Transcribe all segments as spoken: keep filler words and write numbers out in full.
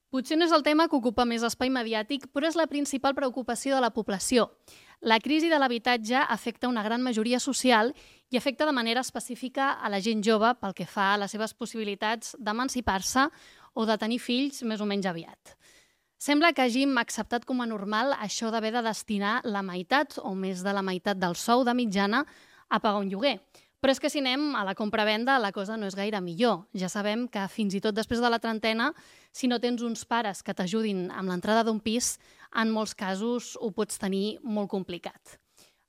Potser no és el tema que ocupa més espai mediàtic, però és la principal preocupació de la població. La crisi de l'habitatge afecta una gran majoria social i afecta de manera específica a la gent jove pel que fa a les seves possibilitats d'emancipar-se o de tenir fills més o menys aviat. Sembla que hàgim acceptat com a normal això d'haver de destinar la meitat o més de la meitat del sou de mitjana a pagar un lloguer. Però és que si anem a la compra-venda la cosa no és gaire millor. Ja sabem que fins i tot després de la trentena, si no tens uns pares que t'ajudin amb l'entrada d'un pis, en molts casos ho pots tenir molt complicat.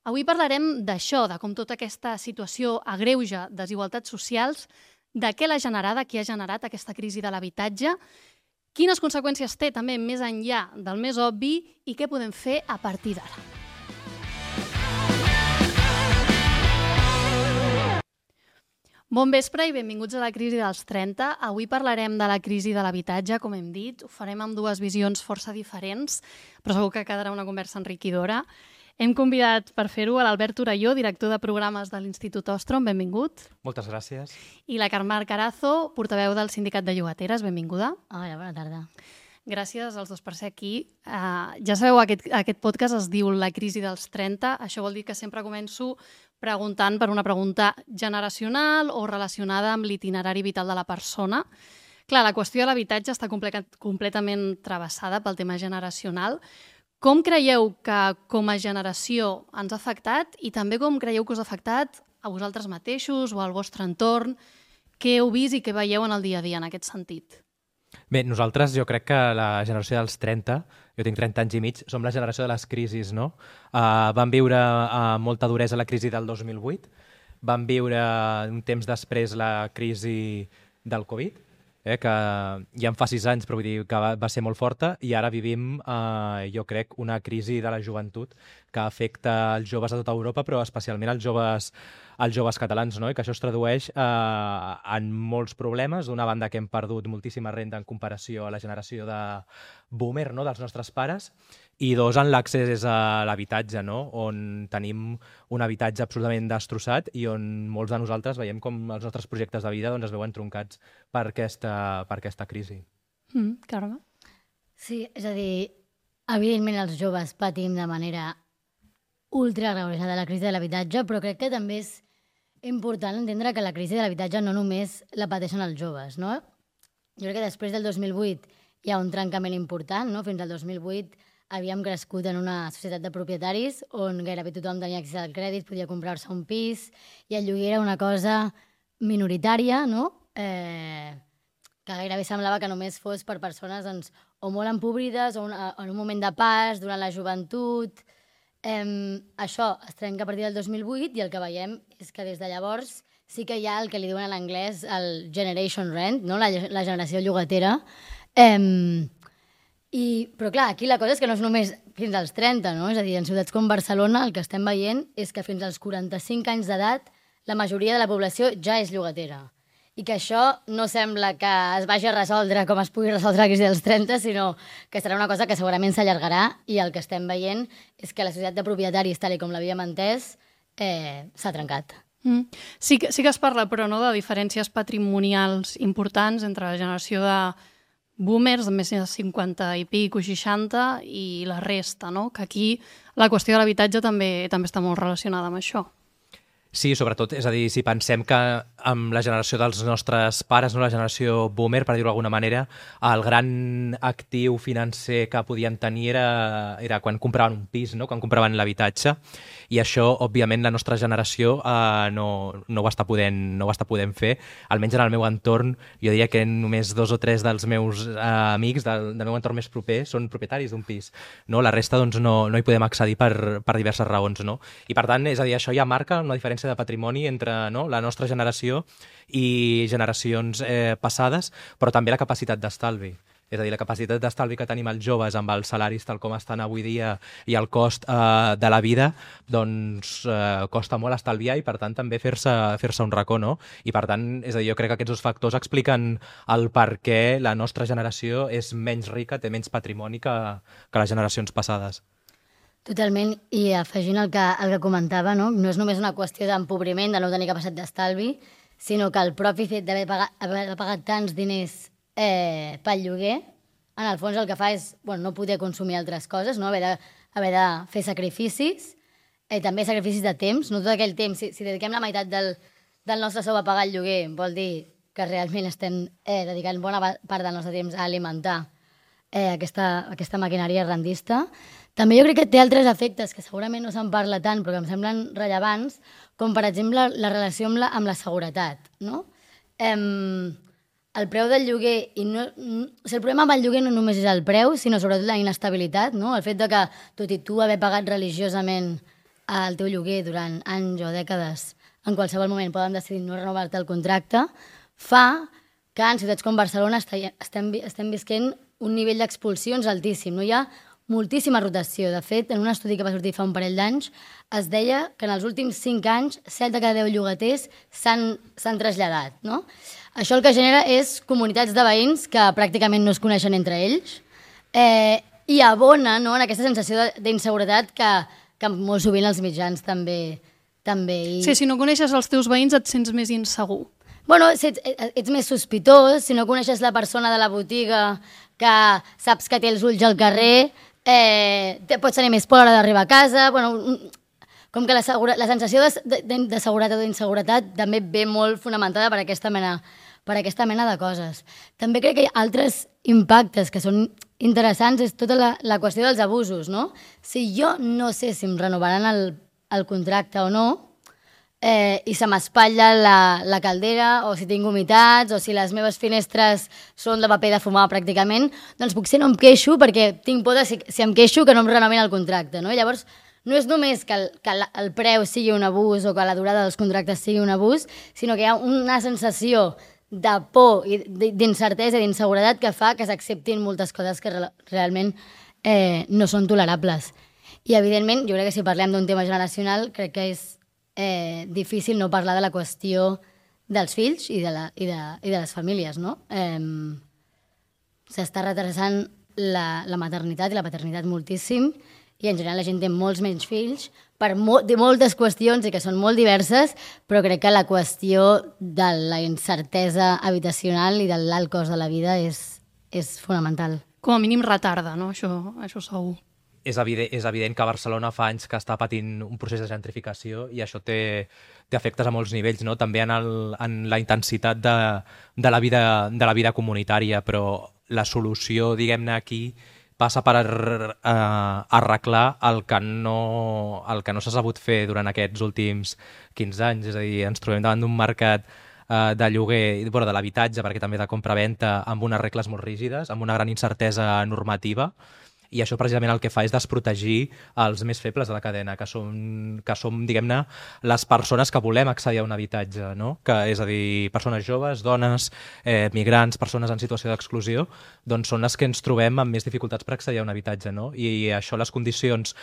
Avui parlarem d'això, de com tota aquesta situació agreuja desigualtats socials, de què l'ha generada, qui ha generat aquesta crisi de l'habitatge, quines conseqüències té també més enllà del més obvi i què podem fer a partir d'ara. Bon vespre i benvinguts a la crisi dels trenta. Avui parlarem de la crisi de l'habitatge, com hem dit. Ho farem amb dues visions força diferents, però segur que quedarà una conversa enriquidora. Hem convidat per fer-ho a l'Albert Torelló, director de programes de l'Institut Ostrom. Benvingut. Moltes gràcies. I la Carme Carazo, portaveu del Sindicat de Llogateres. Benvinguda. Hola, bona tarda. Gràcies als dos per ser aquí. Uh, ja sabeu, aquest, aquest podcast es diu La crisi dels trenta. Això vol dir que sempre començo preguntant per una pregunta generacional o relacionada amb l'itinerari vital de la persona. Clar, la qüestió de l'habitatge està comple- completament travessada pel tema generacional. Com creieu que com a generació ens ha afectat i també com creieu que us ha afectat a vosaltres mateixos o al vostre entorn? Què heu vist i què veieu en el dia a dia en aquest sentit? Bé, nosaltres jo crec que la generació dels trenta, jo tinc trenta anys i mig, som la generació de les crisis, no? Uh, vam viure uh, molta duresa la crisi del dos mil vuit, vam viure un temps després la crisi del Covid, eh, que ja en fa sis anys, però vull dir que va, va ser molt forta, i ara vivim, uh, jo crec, una crisi de la joventut que afecta els joves a tota Europa, però especialment els joves als joves catalans, no? I que això es tradueix eh, en molts problemes. D'una banda que hem perdut moltíssima renda en comparació a la generació de boomer, no? Dels nostres pares, i dos, en l'accés a l'habitatge, no? On tenim un habitatge absolutament destrossat i on molts de nosaltres veiem com els nostres projectes de vida doncs, es veuen troncats per aquesta, per aquesta crisi. Mm, Carme? Sí, és a dir, evidentment els joves patim de manera ultra agreujada la crisi de l'habitatge, però crec que també és important entendre que la crisi de l'habitatge no només la pateixen els joves, no? Jo crec que després del dos mil vuit hi ha un trencament important, no? Fins al dos mil vuit havíem crescut en una societat de propietaris on gairebé tothom tenia accés al crèdit, podia comprar-se un pis, i el lloguer era una cosa minoritària, no? Eh, que gairebé semblava que només fos per persones doncs, o molt empobrides o una, en un moment de pas, durant la joventut. Eh, això es trenca a partir del dos mil vuit i el que veiem és que des de llavors sí que hi ha el que li diuen en anglès el generation rent, no? la, la generació llogatera. Eh, i, però clar, aquí la cosa és que no és només fins als trenta, no? És a dir, en ciutats com Barcelona el que estem veient és que fins als quaranta-cinc anys d'edat la majoria de la població ja és llogatera. I que això no sembla que es vagi a resoldre com es pugui resoldre la crisi dels trenta, sinó que serà una cosa que segurament s'allargarà, i el que estem veient és que la societat de propietaris, tal com l'havíem entès, eh, s'ha trencat. Mm. Sí, que, sí que es parla, però, no, de diferències patrimonials importants entre la generació de boomers, de més de cinquanta i pic o seixanta, i la resta, no? Que aquí la qüestió de l'habitatge també, també està molt relacionada amb això. Sí, sobretot, és a dir, si pensem que amb la generació dels nostres pares, no, la generació boomer, per dir-ho d'alguna manera, el gran actiu financer que podien tenir era, era quan compraven un pis, no? Quan compraven l'habitatge, i això, òbviament, la nostra generació eh, no, no, ho està podent, no ho està podent fer. Almenys en el meu entorn, jo diria que només dos o tres dels meus eh, amics del, del meu entorn més proper són propietaris d'un pis. No? La resta doncs, no, no hi podem accedir per, per diverses raons. No? I per tant, és a dir, això ja marca una diferència de patrimoni entre, no, la nostra generació i generacions eh, passades, però també la capacitat d'estalvi. És a dir, la capacitat d'estalvi que tenim els joves amb els salaris tal com estan avui dia i el cost eh, de la vida, doncs eh, costa molt estalviar i per tant també fer-se fer-se un racó, no? I per tant, és a dir, jo crec que aquests dos factors expliquen el per què la nostra generació és menys rica, té menys patrimoni que, que les generacions passades. Totalment, i afegint el que, el que comentava, no? No és només una qüestió d'empobriment, de no tenir capacitat d'estalvi, sinó que el propi fet d'haver pagat, haver pagat tants diners eh, pel lloguer en el fons el que fa és bueno, no poder consumir altres coses, no? haver, de, haver de fer sacrificis, eh, també sacrificis de temps, no tot aquell temps, si, si dediquem la meitat del, del nostre sou a pagar el lloguer, vol dir que realment estem eh, dedicant bona part del nostre temps a alimentar eh, aquesta, aquesta maquinària rendista. També jo crec que té altres efectes que segurament no se'n parla tant però que em semblen rellevants, com per exemple la relació amb la, amb la seguretat. No? Em, el preu del lloguer, i no, no, o sigui, el problema amb el lloguer no només és el preu, sinó sobretot la inestabilitat, no? El fet de que, tot i tu haver pagat religiosament el teu lloguer durant anys o dècades, en qualsevol moment poden decidir no renovar-te el contracte, fa que en ciutats com Barcelona estem, estem visquent un nivell d'expulsions altíssim. No hi ha moltíssima rotació. De fet, en un estudi que va sortir fa un parell d'anys, es deia que en els últims cinc anys, set de cada deu llogaters s'han traslladat. No? Això el que genera és comunitats de veïns que pràcticament no es coneixen entre ells eh, i abona no, en aquesta sensació d'inseguretat que, que molt sovint els mitjans també... també i... Sí, si no coneixes els teus veïns et sents més insegur. Bueno, si ets, ets més sospitós, si no coneixes la persona de la botiga que saps que té els ulls al carrer, eh, pots tenir més por a l'hora d'arribar a casa. Bueno, com que la, segura, la sensació de, de, de seguretat o d'inseguretat també ve molt fonamentada per aquesta mena, per aquesta mena de coses. També crec que hi ha altres impactes que són interessants, és tota la, la qüestió dels abusos, no? Si jo no sé si em renovaran el, el contracte o no, Eh, i se m'espatlla la, la caldera, o si tinc humitats, o si les meves finestres són de paper de fumar pràcticament, doncs potser no em queixo perquè tinc por de si, si em queixo que no em renovin el contracte. No? I llavors, no és només que, el, que el preu sigui un abús o que la durada dels contractes sigui un abús, sinó que hi ha una sensació de por i d'incertesa i d'inseguretat que fa que s'acceptin moltes coses que re realment eh, no són tolerables. I, evidentment, jo crec que si parlem d'un tema generacional, crec que és Eh, difícil no parlar de la qüestió dels fills i de, la, i de, i de les famílies, no? Eh, S'està retrasant la, la maternitat i la paternitat moltíssim i en general la gent té molts menys fills per mo de moltes qüestions i que són molt diverses, però crec que la qüestió de la incertesa habitacional i de l'alt cost de la vida és, és fonamental. Com a mínim retarda, no? Això, això segur. És evident, és evident que Barcelona fa anys que està patint un procés de gentrificació i això té, té efectes a molts nivells, no? També en, el, en la intensitat de, de, la vida, de la vida comunitària, però la solució, diguem-ne, aquí passa per uh, arreglar el que no, el que no s'ha sabut fer durant aquests últims quinze anys. És a dir, ens trobem davant d'un mercat uh, de lloguer, bueno, de l'habitatge, perquè també de compra-venta, amb unes regles molt rígides, amb una gran incertesa normativa, i això precisament el que fa és desprotegir els més febles de la cadena, que som, que som diguem-ne, les persones que volem accedir a un habitatge, no? Que, és a dir, persones joves, dones, eh, migrants, persones en situació d'exclusió, doncs són les que ens trobem amb més dificultats per accedir a un habitatge, no? I això, les condicions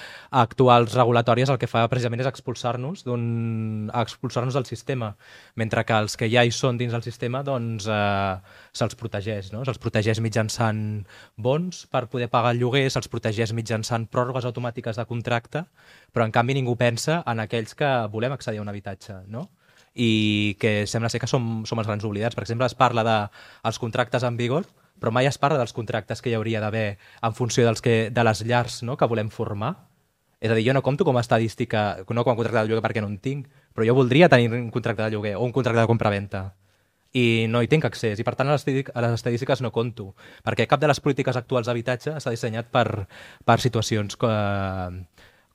actuals regulatòries, el que fa precisament és expulsar-nos d'un expulsar-nos del sistema, mentre que els que ja hi són dins del sistema, doncs eh, se'ls protegeix, no? Se'ls protegeix mitjançant bons per poder pagar el lloguer, se'ls protegeix mitjançant pròrrogues automàtiques de contracte, però en canvi ningú pensa en aquells que volem accedir a un habitatge, no? I que sembla ser que som, som els grans oblidats. Per exemple, es parla dels contractes en vigor, però mai es parla dels contractes que hi hauria d'haver en funció dels que, de les llars, no?, que volem formar. És a dir, jo no compto com a estadística, no com a contracte de lloguer perquè no en tinc, però jo voldria tenir un contracte de lloguer o un contracte de compra-venta. I no hi tinc accés, i per tant a les estadístiques no compto, perquè cap de les polítiques actuals d'habitatge està dissenyat per, per situacions co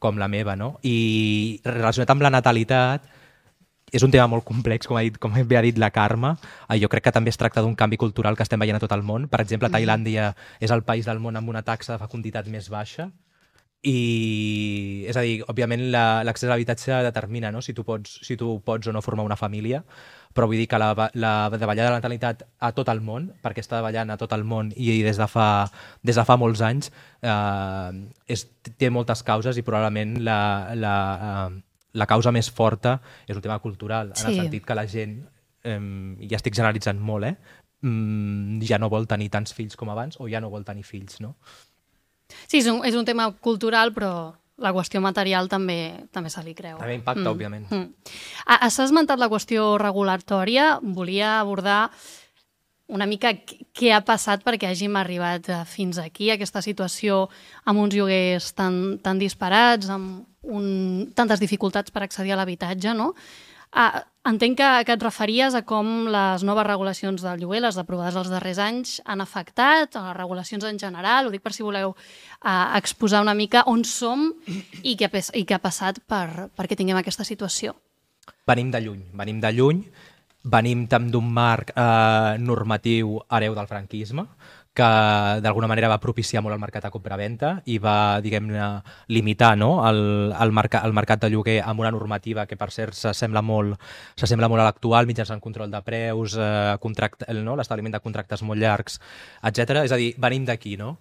com la meva, no? I relacionat amb la natalitat, és un tema molt complex, com ha dit, com bé ha dit la Carme. Jo crec que també es tracta d'un canvi cultural que estem veient a tot el món. Per exemple, Tailàndia és el país del món amb una taxa de fecunditat més baixa, i és a dir, òbviament l'accés a l'habitatge determina, no?, si tu pots, si tu pots o no formar una família, però vull dir que la, la davallada de la natalitat a tot el món, perquè està davallant a tot el món i des de fa, des de fa molts anys, eh, és, té moltes causes i probablement la, la, eh, la causa més forta és un tema cultural, en sí. el sentit que la gent, eh, ja estic generalitzant molt, eh, ja no vol tenir tants fills com abans o ja no vol tenir fills, no? Sí, és un, és un tema cultural, però la qüestió material també, també se li creu. També impacta, mm. òbviament. Mm. Has esmentat la qüestió regulatòria. Volia abordar una mica què ha passat perquè hàgim arribat fins aquí, aquesta situació amb uns lloguers tan, tan disparats, amb un, tantes dificultats per accedir a l'habitatge, no? Ah, entenc que, que et referies a com les noves regulacions del lloguer, les aprovades els darrers anys, han afectat, a les regulacions en general, ho dic per si voleu uh, exposar una mica on som i què, i què ha passat per, perquè tinguem aquesta situació. Venim de lluny, venim de lluny, venim també d'un marc eh, normatiu hereu del franquisme, que d'alguna manera va propiciar molt el mercat de compra-venta i va, diguem-ne, limitar, no? el, el, mercat, el mercat de lloguer amb una normativa que, per cert, s'assembla molt, s'assembla molt a l'actual, mitjançant control de preus, eh, contract, no? l'establiment de contractes molt llargs, etcètera. És a dir, venim d'aquí, no?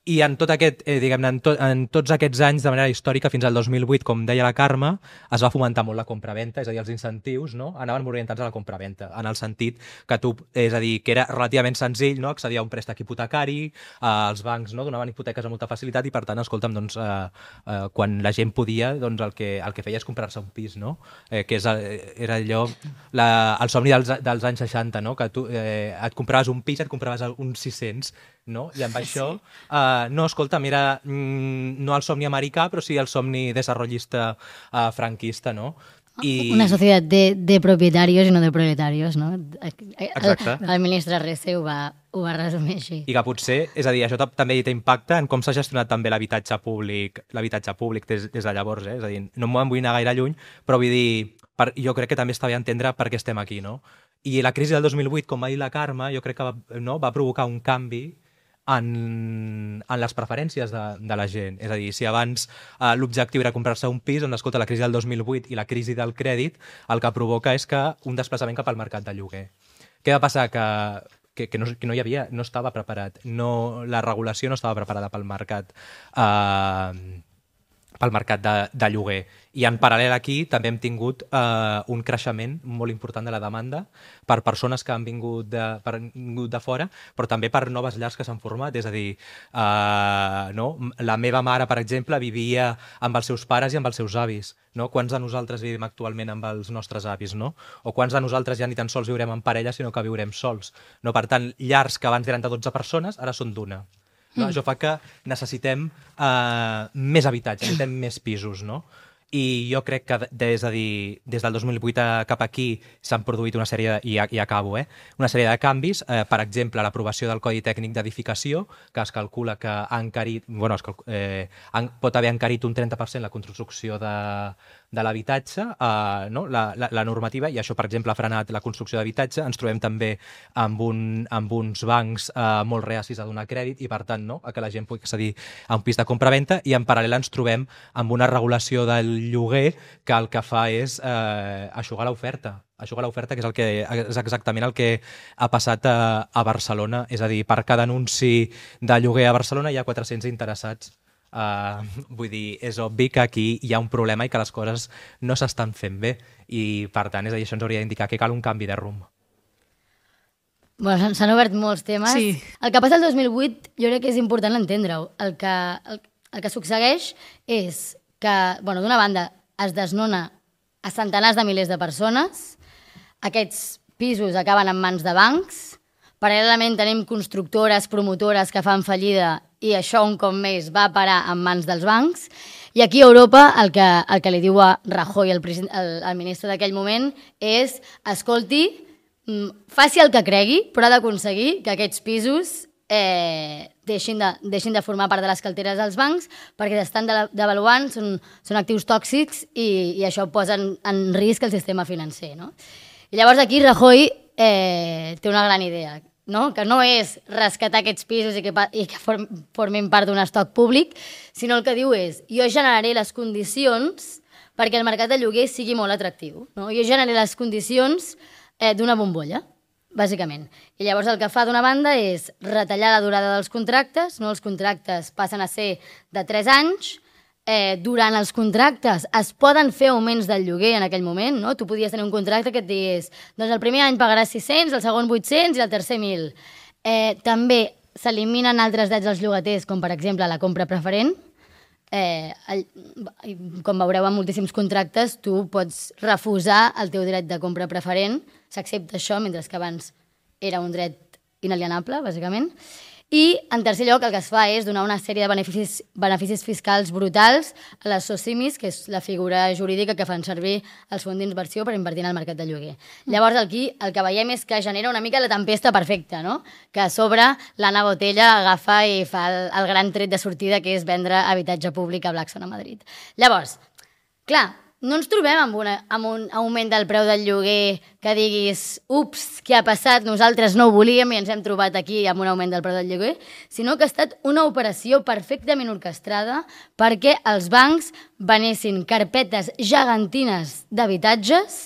I en, tot aquest, eh, diguem-ne, en, to, en tots aquests anys, de manera històrica, fins al dos mil vuit, com deia la Carme, es va fomentar molt la compra-venta, és a dir, els incentius, no? anaven orientats a la compra-venta, en el sentit que tu, és a dir, que era relativament senzill, no? accedir a un préstec hipotecari, eh, els bancs no? donaven hipoteques amb molta facilitat i, per tant, escolta'm, doncs, eh, eh, quan la gent podia, doncs el que, el que feia és comprar-se un pis, no? eh, que és, era allò, la, el somni dels, dels anys seixanta, no? que tu eh, et compraves un pis, et compraves uns sis-cents, no? I amb això, uh, no, escolta, mira, mm, no el somni americà, però sí el somni desarrollista uh, franquista, no? I... Una societat de, de propietarios i no de proletarios, no? Exacte. El, el ministre Rece ho va, ho va resumir així. I que potser, és a dir, això també té impacte en com s'ha gestionat també l'habitatge públic, l'habitatge públic des, des de llavors, eh? És a dir, no me'n vull anar gaire lluny, però vull dir, per, jo crec que també està bé entendre per què estem aquí, no? I la crisi del dos mil vuit, com va dir la Carme, jo crec que va, no, va provocar un canvi En, en les preferències de, de la gent. És a dir, si abans eh, l'objectiu era comprar-se un pis, doncs, escolta, la crisi del dos mil vuit i la crisi del crèdit el que provoca és que un desplaçament cap al mercat de lloguer. Què va passar? Que, que, que, no, que no hi havia, no estava preparat. No, la regulació no estava preparada pel mercat eh, pel mercat de, de lloguer. I en paral·lel aquí també hem tingut eh, un creixement molt important de la demanda per persones que han vingut de, per, vingut de fora, però també per noves llars que s'han format. És a dir, eh, no? la meva mare, per exemple, vivia amb els seus pares i amb els seus avis. No? Quants de nosaltres vivim actualment amb els nostres avis? No? O quants de nosaltres ja ni tan sols viurem en parella, sinó que viurem sols? No? Per tant, llars que abans eren de dotze persones, ara són d'una. No? Mm. Això fa que necessitem eh, més habitatge, necessitem més pisos, no? I jo crec que des, de dir, des del dos mil vuit cap aquí s'han produït una sèrie, de, i, i acabo, eh, una sèrie de canvis, eh, per exemple, l'aprovació del Codi Tècnic d'Edificació, que es calcula que ha encarit, bueno, es calc eh, han, pot haver encarit un trenta per cent la construcció de, de l'habitatge, eh, no? la, la, la normativa, i això, per exemple, ha frenat la construcció d'habitatge. Ens trobem també amb, un, amb uns bancs eh, molt reacis a donar crèdit i, per tant, no? a que la gent pugui accedir a un pis de compra-venta, i en paral·lel ens trobem amb una regulació del lloguer que el que fa és eh, eixugar l'oferta. Eixugar l'oferta, que és, el que és exactament el que ha passat a, a Barcelona. És a dir, per cada anunci de lloguer a Barcelona hi ha quatre-cents interessats. Uh, vull dir, és obvi que aquí hi ha un problema i que les coses no s'estan fent bé. I, per tant, és a dir, això ens hauria d'indicar que cal un canvi de rumb. Bueno, s'han obert molts temes. Sí. El que passa el dos mil vuit jo crec que és important entendre-ho. El que, el, el que succeeix és que, bueno, d'una banda, es desnona a centenars de milers de persones, aquests pisos acaben en mans de bancs, paral·lelament tenim constructores, promotores que fan fallida i això un cop més va parar en mans dels bancs, i aquí a Europa el que, el que li diu a Rajoy, el, el, el ministre d'aquell moment, és, escolti, faci el que cregui, però ha d'aconseguir que aquests pisos eh, deixin, de, deixin de formar part de les carteres dels bancs perquè s'estan devaluant, són, són actius tòxics i, i això posa en, en risc el sistema financer. No? I llavors aquí Rajoy eh, té una gran idea, no? Que no és rescatar aquests pisos i que, i que form, formin part d'un estoc públic, sinó el que diu és jo generaré les condicions perquè el mercat de lloguer sigui molt atractiu. No? Jo generaré les condicions eh, d'una bombolla, bàsicament. I llavors el que fa d'una banda és retallar la durada dels contractes, no? Els contractes passen a ser de tres anys, eh, durant els contractes es poden fer augments del lloguer en aquell moment, no? Tu podies tenir un contracte que et digués doncs el primer any pagaràs sis-cents, el segon vuit-cents i el tercer mil. Eh, també s'eliminen altres drets dels llogaters, com per exemple la compra preferent. Eh, el, com veureu en moltíssims contractes, tu pots refusar el teu dret de compra preferent, s'accepta això, mentre que abans era un dret inalienable, bàsicament. I, en tercer lloc, el que es fa és donar una sèrie de beneficis, beneficis fiscals brutals a les SOCIMIs, que és la figura jurídica que fan servir els fons d'inversió per invertir en el mercat de lloguer. Llavors, aquí el que veiem és que genera una mica la tempesta perfecta, no? Que a sobre l'Anna Botella agafa i fa el, el gran tret de sortida, que és vendre habitatge públic a Blackstone a Madrid. Llavors, clar, no ens trobem amb, una, amb un augment del preu del lloguer que diguis, ups, què ha passat, nosaltres no ho volíem i ens hem trobat aquí amb un augment del preu del lloguer, sinó que ha estat una operació perfectament orquestrada perquè els bancs venessin carpetes gegantines d'habitatges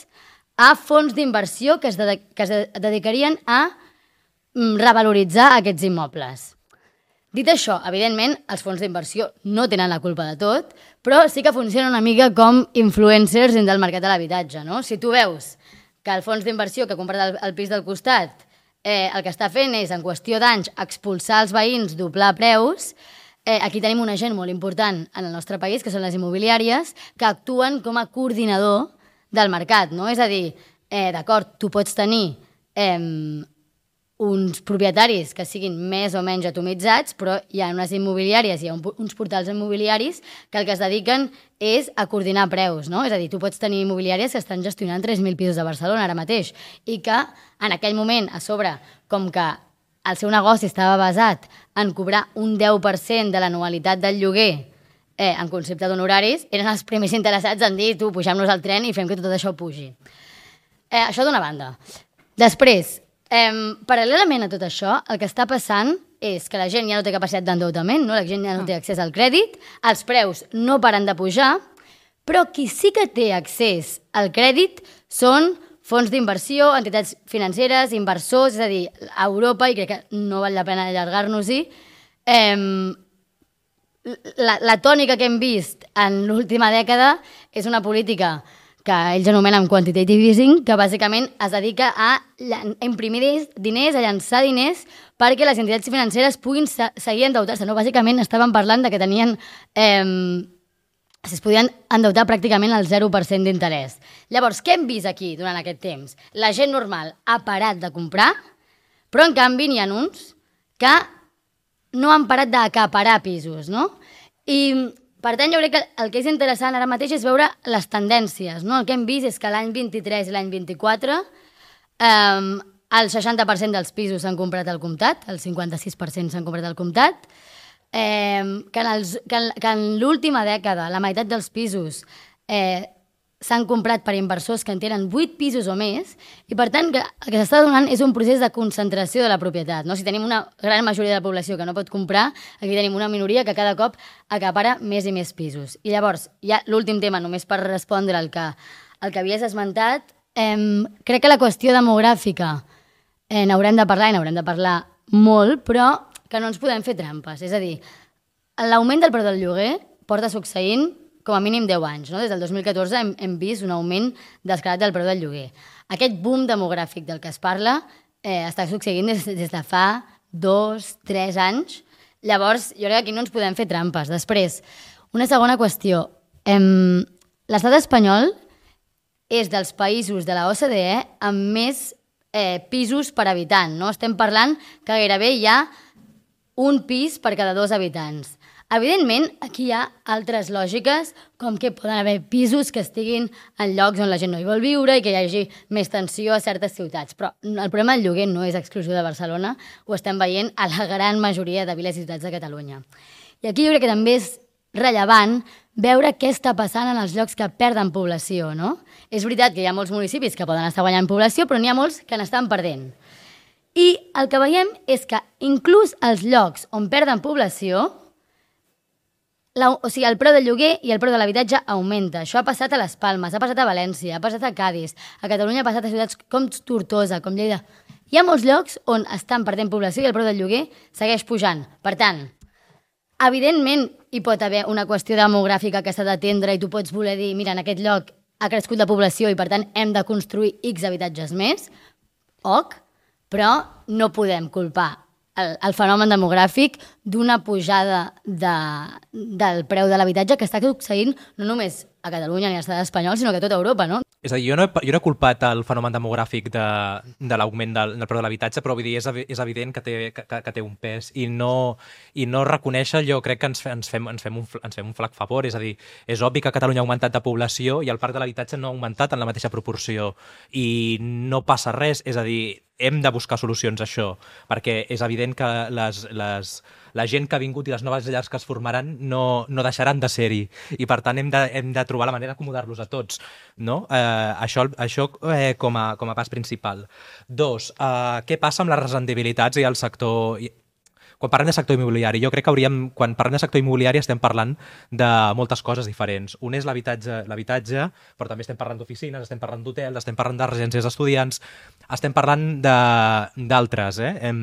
a fons d'inversió que, es de, que es dedicarien a revaloritzar aquests immobles. Dit això, evidentment, els fons d'inversió no tenen la culpa de tot, però sí que funciona una mica com influencers dins del mercat de l'habitatge, no? Si tu veus que el fons d'inversió que ha comprat el, el pis del costat eh, el que està fent és, en qüestió d'anys, expulsar els veïns, doblar preus, eh, aquí tenim un agent molt important en el nostre país, que són les immobiliàries, que actuen com a coordinador del mercat, no? És a dir, eh, d'acord, tu pots tenir eh, uns propietaris que siguin més o menys atomitzats, però hi ha unes immobiliàries, hi ha un, uns portals immobiliaris que el que es dediquen és a coordinar preus, no? És a dir, tu pots tenir immobiliàries que estan gestionant tres mil pisos de Barcelona ara mateix i que en aquell moment, a sobre, com que el seu negoci estava basat en cobrar un deu per cent de l'anualitat del lloguer eh, en concepte d'honoraris, eren els primers interessats en dir, tu, pugem-nos al tren i fem que tot això pugi. Eh, això d'una banda. Després, Um, paral·lelament a tot això, el que està passant és que la gent ja no té capacitat d'endeutament, no? La gent ja no té accés al crèdit, els preus no paren de pujar, però qui sí que té accés al crèdit són fons d'inversió, entitats financeres, inversors, és a dir, a Europa, i crec que no val la pena allargar-nos-hi, um, la, la tònica que hem vist en l'última dècada és una política que ells anomenen quantitative easing, que bàsicament es dedica a imprimir diners, a llançar diners, perquè les entitats financeres puguin seguir endeutar-se. No? Bàsicament estaven parlant de que tenien... Eh, es podien endeutar pràcticament al zero per cent d'interès. Llavors, què hem vist aquí durant aquest temps? La gent normal ha parat de comprar, però en canvi n'hi ha uns que no han parat d'acaparar pisos, no? I... Per tant, jo crec que el que és interessant ara mateix és veure les tendències, no? El que hem vist és que l'any vint-i-tres i l'any vint-i-quatre eh, el seixanta per cent dels pisos s'han comprat al comptat, el cinquanta-sis per cent s'han comprat al comptat, eh, que en, els, que en, que en l'última dècada la meitat dels pisos eh, s'han comprat per inversors que en tenen vuit pisos o més, i per tant que el que s'està donant és un procés de concentració de la propietat. No? Si tenim una gran majoria de la població que no pot comprar, aquí tenim una minoria que cada cop acapara més i més pisos. I llavors, ja l'últim tema, només per respondre al que, al que havies esmentat, eh, crec que la qüestió demogràfica eh, n'haurem de parlar i n'haurem de parlar molt, però que no ens podem fer trampes. És a dir, l'augment del preu del lloguer porta succeint com a mínim deu anys. No? Des del dos mil catorze hem, hem vist un augment descarat del preu del lloguer. Aquest boom demogràfic del que es parla eh, està succeint des, des de fa dos, tres anys. Llavors, jo crec que aquí no ens podem fer trampes. Després, una segona qüestió. Eh, L'estat espanyol és dels països de la O C D E amb més eh, pisos per habitant. No? Estem parlant que gairebé hi ha un pis per cada dos habitants. Evidentment, aquí hi ha altres lògiques, com que poden haver pisos que estiguin en llocs on la gent no hi vol viure i que hi hagi més tensió a certes ciutats. Però el problema del lloguer no és exclusiu de Barcelona, ho estem veient a la gran majoria de viles i ciutats de Catalunya. I aquí jo crec que també és rellevant veure què està passant en els llocs que perden població, no? És veritat que hi ha molts municipis que poden estar guanyant població, però n'hi ha molts que n'estan perdent. I el que veiem és que inclús els llocs on perden població, La, o sigui, el preu del lloguer i el preu de l'habitatge augmenta. Això ha passat a Les Palmes, ha passat a València, ha passat a Cádiz, a Catalunya ha passat a ciutats com Tortosa, com Lleida. Hi ha molts llocs on estan perdent població i el preu del lloguer segueix pujant. Per tant, evidentment hi pot haver una qüestió demogràfica que s'ha d'atendre i tu pots voler dir, mira, en aquest lloc ha crescut la població i per tant hem de construir X habitatges més, ok, però no podem culpar El, el fenomen demogràfic d'una pujada de, del preu de l'habitatge que està succeint no només a Catalunya ni a l'estat espanyol, sinó que a tota Europa, no? És a dir, jo no he, jo no he culpat el fenomen demogràfic de, de l'augment del, del preu de l'habitatge, però vull dir, és, és evident que té, que, que té un pes i no, i no reconèixer, jo crec que ens, ens, fem, ens, fem un, ens fem un flac favor. És a dir, és obvi que Catalunya ha augmentat de població i el parc de l'habitatge no ha augmentat en la mateixa proporció i no passa res. És a dir, hem de buscar solucions a això, perquè és evident que les, les, la gent que ha vingut i les noves llars que es formaran no, no deixaran de ser-hi i per tant hem de, hem de trobar la manera d'acomodar-los a tots, no? Eh, això això eh, com, a, com a pas principal. Dos, eh, què passa amb les rendibilitats i el sector... Quan parlem de sector immobiliari, jo crec que hauríem, quan parlem de sector immobiliari estem parlant de moltes coses diferents. Un és l'habitatge, l'habitatge, però també estem parlant d'oficines, estem parlant d'hotels, estem parlant de residències d'estudiants, estem parlant d'altres, eh? Em...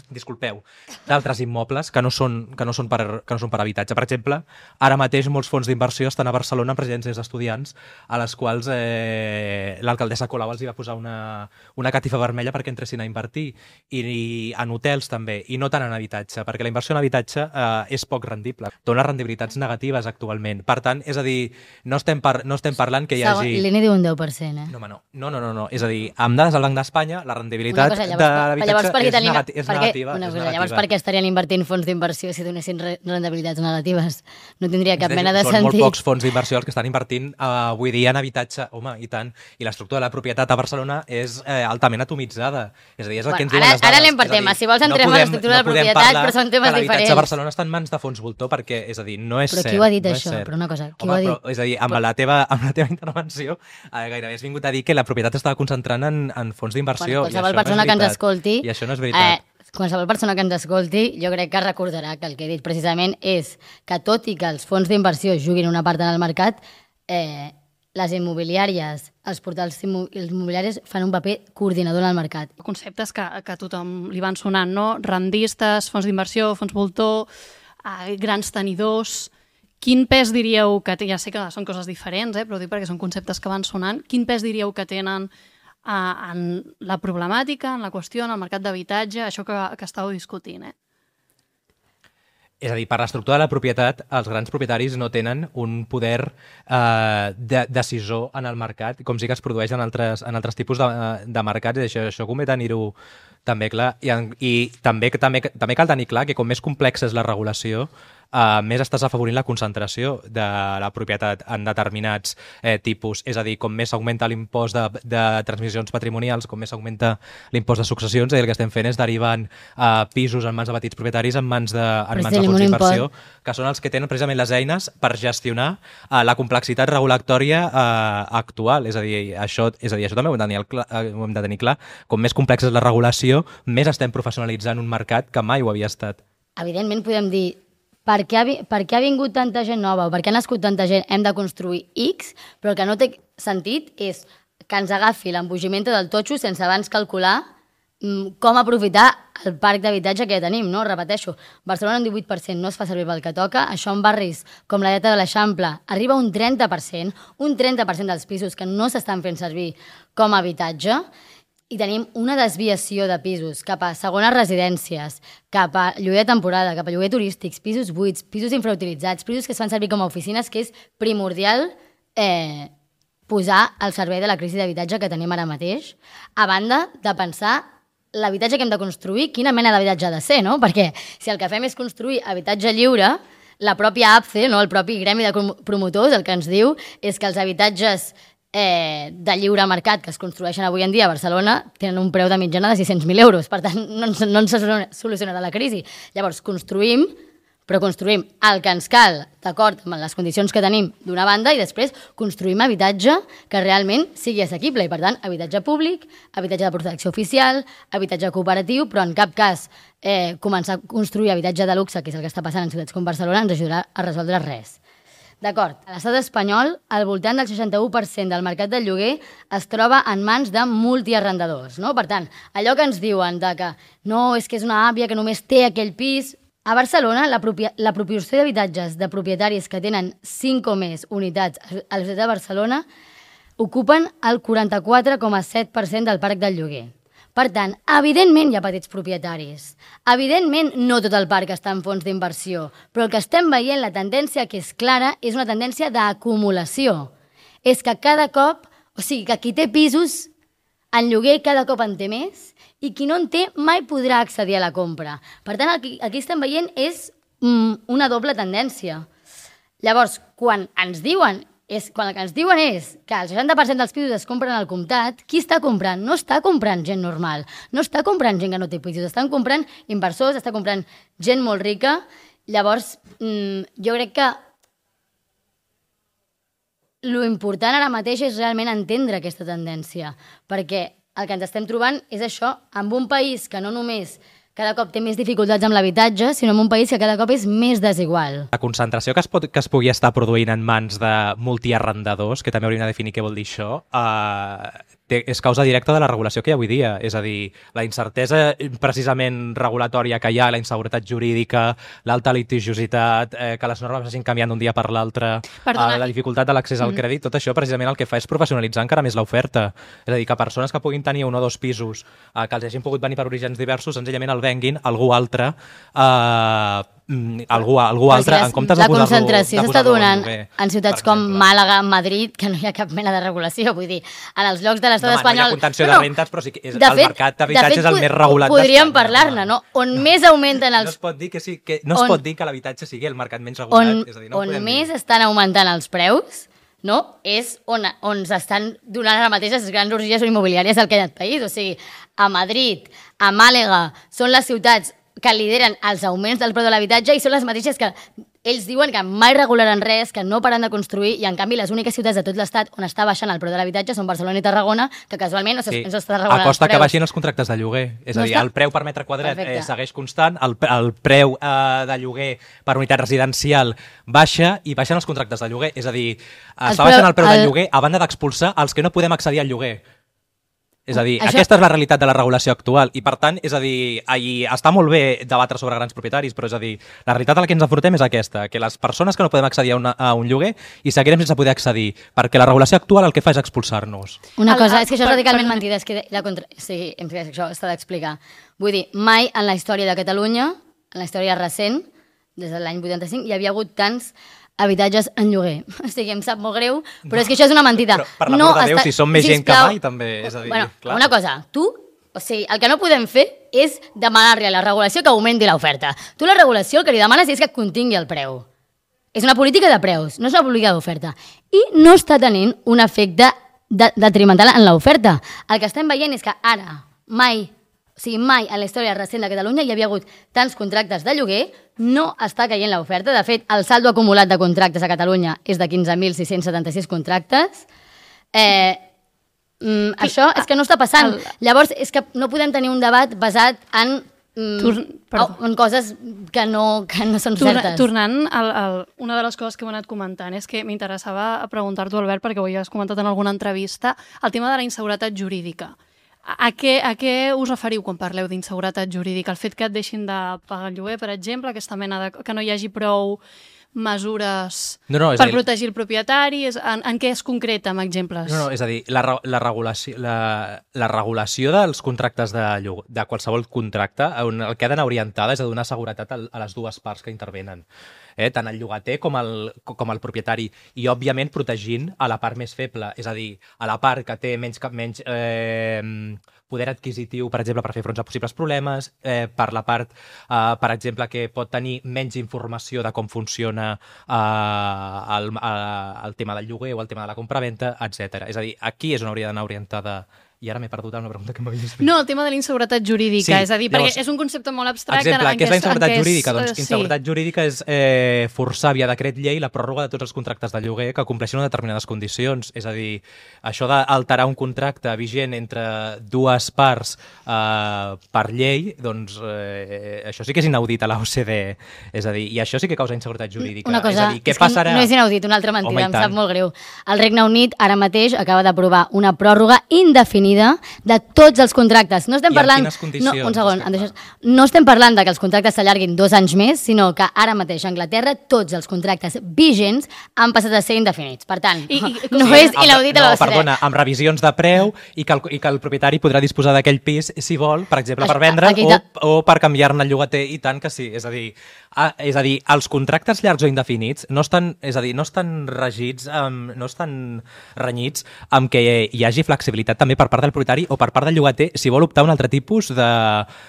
disculpeu, d'altres immobles que no són, que no són per, que no són per habitatge. Per exemple, ara mateix molts fons d'inversió estan a Barcelona en residències d'estudiants a les quals eh, l'alcaldessa Colau els hi va posar una, una catifa vermella perquè entressin a invertir, i, i en hotels també, i no tant en habitatge, perquè la inversió en habitatge eh, és poc rendible. Dona rendibilitats negatives actualment. Per tant, és a dir, no estem, par no estem parlant que hi hagi... L'I N E diu un deu per cent, eh? No, no, no, no, no, no. És a dir, amb dades del Banc d'Espanya, la rendibilitat cosa, llavors, de l'habitatge és, tenim, negati és perquè, negativa. una és cosa, negativa. llavors, per què estarien invertint fons d'inversió si donessin rendibilitats negatives? No tindria cap mena de Són sentit. Són molt pocs fons d'inversió els que estan invertint uh, avui dia en habitatge, home, i tant. I l'estructura de la propietat a Barcelona és eh, altament atomitzada. És a dir, és el bueno, que ens diuen ara, les dades. Ara anem per temes. Si vols entrem no podem, a l'estructura no de la propietat, però són temes diferents. L'habitatge a Barcelona està en mans de fons voltor perquè, és a dir, no és però cert. Però qui ho ha dit, no això? Però una cosa, qui home, ho ha dit? Però, és a dir, amb, però... la teva, amb la teva intervenció eh, gairebé has vingut a dir que la propietat estava concentrant en, en fons d'inversió. Bueno, qualsevol persona no que ens escolti... I això no és veritat. Eh, qualsevol persona que ens escolti, jo crec que recordarà que el que he dit precisament és que tot i que els fons d'inversió juguin una part en el mercat, eh, les immobiliàries, els portals immobiliaris fan un paper coordinador en el mercat. Conceptes que, que a tothom li van sonant, no? Rendistes, fons d'inversió, fons voltor, eh, grans tenidors... Quin pes diríeu que té? Ja sé que són coses diferents, eh, però dic perquè són conceptes que van sonant. Quin pes diríeu que tenen eh, en la problemàtica, en la qüestió, en el mercat d'habitatge, això que, que estàveu discutint? Eh? És a dir, per l'estructura de la propietat, els grans propietaris no tenen un poder eh, de, decisor en el mercat, com sí que es produeix en altres, en altres tipus de, de mercats, i això, això convé tenir-ho també clar. I, i també, també, també cal tenir clar que com més complexa és la regulació, Uh, més estàs afavorint la concentració de la propietat en determinats eh, tipus. És a dir, com més augmenta l'impost de, de transmissions patrimonials, com més augmenta l'impost de successions, i el que estem fent és derivant uh, pisos en mans de petits propietaris en mans de, en mans de fons d'inversió, que són els que tenen precisament les eines per gestionar uh, la complexitat regulatòria uh, actual. És a dir, això, és a dir, això també ho hem, de tenir clar, uh, ho hem de tenir clar. Com més complexa és la regulació, més estem professionalitzant un mercat que mai ho havia estat. Evidentment podem dir Per què, ha, per què ha vingut tanta gent nova o per què ha nascut tanta gent, hem de construir X, però el que no té sentit és que ens agafi l'embogiment del totxo sense abans calcular mm, com aprofitar el parc d'habitatge que ja tenim, no? Repeteixo, Barcelona un divuit per cent no es fa servir pel que toca, això en barris com la Llata de l'Eixample arriba a un trenta per cent, un trenta per cent dels pisos que no s'estan fent servir com a habitatge, i tenim una desviació de pisos cap a segones residències, cap a lloguer de temporada, cap a lloguer turístics, pisos buits, pisos infrautilitzats, pisos que es fan servir com a oficines, que és primordial eh, posar al servei de la crisi d'habitatge que tenim ara mateix, a banda de pensar l'habitatge que hem de construir, quina mena d'habitatge ha de ser, no? Perquè si el que fem és construir habitatge lliure, la pròpia A P C E, no? El propi gremi de promotors, el que ens diu és que els habitatges Eh, de lliure mercat que es construeixen avui en dia a Barcelona tenen un preu de mitjana de sis-cents mil euros. Per tant, no ens, no ens solucionarà la crisi. Llavors, construïm, però construïm el que ens cal, d'acord amb les condicions que tenim d'una banda, i després construïm habitatge que realment sigui assequible. I, per tant, habitatge públic, habitatge de protecció oficial, habitatge cooperatiu, però en cap cas eh, començar a construir habitatge de luxe, que és el que està passant en ciutats com Barcelona, ens ajudarà a resoldre res. D'acord, a l'estat espanyol, al voltant del seixanta-u per cent del mercat del lloguer es troba en mans de multiarrendadors, no? Per tant, allò que ens diuen de que no, és que és una àvia que només té aquell pis... A Barcelona, la, la proporció d'habitatges de propietaris que tenen cinc o més unitats a la ciutat de Barcelona ocupen el quaranta-quatre coma set per cent del parc del lloguer. Per tant, evidentment hi ha petits propietaris. Evidentment no tot el parc està en fons d'inversió, però el que estem veient, la tendència que és clara, és una tendència d'acumulació. És que cada cop, o sigui, que qui té pisos en lloguer cada cop en té més i qui no en té mai podrà accedir a la compra. Per tant, aquí, aquí estem veient és mm, una doble tendència. Llavors, quan ens diuen és, quan el que ens diuen és que el seixanta per cent dels pisos es compren al comptat, qui està comprant? No està comprant gent normal, no està comprant gent que no té pisos, estan comprant inversors, està comprant gent molt rica. Llavors, mmm, jo crec que lo important ara mateix és realment entendre aquesta tendència, perquè el que ens estem trobant és això, amb un país que no només cada cop té més dificultats amb l'habitatge, sinó en un país que cada cop és més desigual. La concentració que es, pot, que es pugui estar produint en mans de multiarrendadors, que també hauríem de definir què vol dir això, eh, té, és causa directa de la regulació que hi ha avui dia. És a dir, la incertesa precisament regulatòria que hi ha, la inseguretat jurídica, l'alta litigiositat, eh, que les normes vagin canviant d'un dia per l'altre, eh, la dificultat de l'accés al crèdit, tot això precisament el que fa és professionalitzar encara més l'oferta. És a dir, que persones que puguin tenir un o dos pisos, eh, que els hagin pogut venir per orígens diversos, senzillament el venguin algú altre, eh, algú, algú altre, en comptes de posar-lo... La concentració s'està donant en ciutats com Màlaga, Madrid, que no hi ha cap mena de regulació, vull dir, en els llocs de l'estat no, espanyol... No hi ha contenció no, de rentes, però sí que és, de el fet, mercat d'habitatge és el més regulat d'Espanya. Podríem parlar-ne, no? On més augmenten els... No es pot dir que, sí, que, no es on, pot dir que l'habitatge sigui el mercat menys regulat. On, és a dir, no on més dir. Estan augmentant els preus, no? És on, on s'estan donant ara mateix les grans orgies immobiliàries del que hi ha país. O sigui, a Madrid, a Màlaga, són les ciutats que lideren els augments del preu de l'habitatge i són les mateixes que ells diuen que mai regularan res, que no paran de construir, i en canvi les úniques ciutats de tot l'estat on està baixant el preu de l'habitatge són Barcelona i Tarragona, que casualment no sí. s'està regulant a costa els preus. Que baixin els contractes de lloguer. És no a dir, està... el preu per metre quadrat eh, segueix constant, el, el preu eh, de lloguer per unitat residencial baixa i baixen els contractes de lloguer. És a dir, està preu, baixant el preu el... del lloguer a banda d'expulsar els que no podem accedir al lloguer. És a dir, Això... aquesta és la realitat de la regulació actual i, per tant, és a dir, ahir, està molt bé debatre sobre grans propietaris, però és a dir, la realitat a la que ens enfrontem és aquesta, que les persones que no podem accedir a, una, a un lloguer i seguirem sense poder accedir, perquè la regulació actual el que fa és expulsar-nos. Una cosa, és que això és radicalment per... mentida, és que la contra... sí, això s'ha d'explicar. Vull dir, mai en la història de Catalunya, en la història recent, des de l'any vuitanta-cinc, hi havia hagut tants habitatges en lloguer. O sigui, em sap molt greu, però no, és que això és una mentida. Però, per l'amor no de Déu, està... si som més gent que mai, també, és a dir... Bueno, clar. Una cosa, tu, o sigui, el que no podem fer és demanar-li a la regulació que augmenti l'oferta. Tu la regulació el que li demanes és que contingui el preu. És una política de preus, no és una política d'oferta. I no està tenint un efecte de, detrimental en l'oferta. El que estem veient és que ara, mai, o sigui, mai en la història recent de Catalunya hi havia hagut tants contractes de lloguer, no està caient l'oferta. De fet, el saldo acumulat de contractes a Catalunya és de quinze mil sis-cents setanta-sis contractes. Eh, mm, això és que no està passant. El... Llavors, és que no podem tenir un debat basat en, mm, Tor... en coses que no, que no són Torna, certes. Tornant, al, al, una de les coses que hem anat comentant és que m'interessava preguntar-t'ho, Albert, perquè ho havies comentat en alguna entrevista, el tema de la inseguretat jurídica. A què, a què us referiu quan parleu d'inseguretat jurídica? El fet que et deixin de pagar el lloguer, per exemple, aquesta mena de... que no hi hagi prou mesures no, no, per dir, protegir el propietari? És, en, en què es concreta, amb exemples? No, no, és a dir, la, la, regulació, la, la regulació dels contractes de, lloguer, de qualsevol contracte, on el que ha d'anar orientada és a donar seguretat a, a les dues parts que intervenen. Eh, tant el llogater com el, com el propietari, i òbviament protegint a la part més feble, és a dir, a la part que té menys, menys eh, poder adquisitiu, per exemple, per fer front a possibles problemes, eh, per la part, eh, per exemple, que pot tenir menys informació de com funciona eh, el, el tema del lloguer o el tema de la compraventa, etcètera. És a dir, aquí és on hauria d'anar orientada. I ara m'he perdut en una pregunta que m'havies fet. No, el tema de la inseguretat jurídica, sí, és a dir, llavors, perquè és un concepte molt abstracte. Exemple, en què és la inseguretat és, jurídica? Doncs sí. inseguretat jurídica és eh, forçar via decret llei la pròrroga de tots els contractes de lloguer que compleixin unes determinades condicions. És a dir, això d'alterar un contracte vigent entre dues parts eh, per llei, doncs eh, això sí que és inaudit a la O C D E. És a dir, i això sí que causa inseguretat jurídica. Una cosa, és a dir, què és passarà? No és inaudit, una altra mentida, Home, em sap molt greu. El Regne Unit ara mateix acaba d'aprovar una pròrroga indefinida indefinida de tots els contractes. No estem I parlant... en quines condicions? No, un segon, em deixes... No estem parlant de que els contractes s'allarguin dos anys més, sinó que ara mateix a Anglaterra tots els contractes vigents han passat a ser indefinits. Per tant, I, i, no sí, és inaudit a la no, perdona, amb revisions de preu i que el, i que el propietari podrà disposar d'aquell pis, si vol, per exemple, per vendre o, o per canviar-ne el llogater, i tant que sí. És a dir, a, és a dir, els contractes llargs o indefinits no estan, és a dir, no estan regits, um, no estan renyits amb que hi hagi flexibilitat també per part del propietari o per part del llogater si vol optar a un altre tipus de,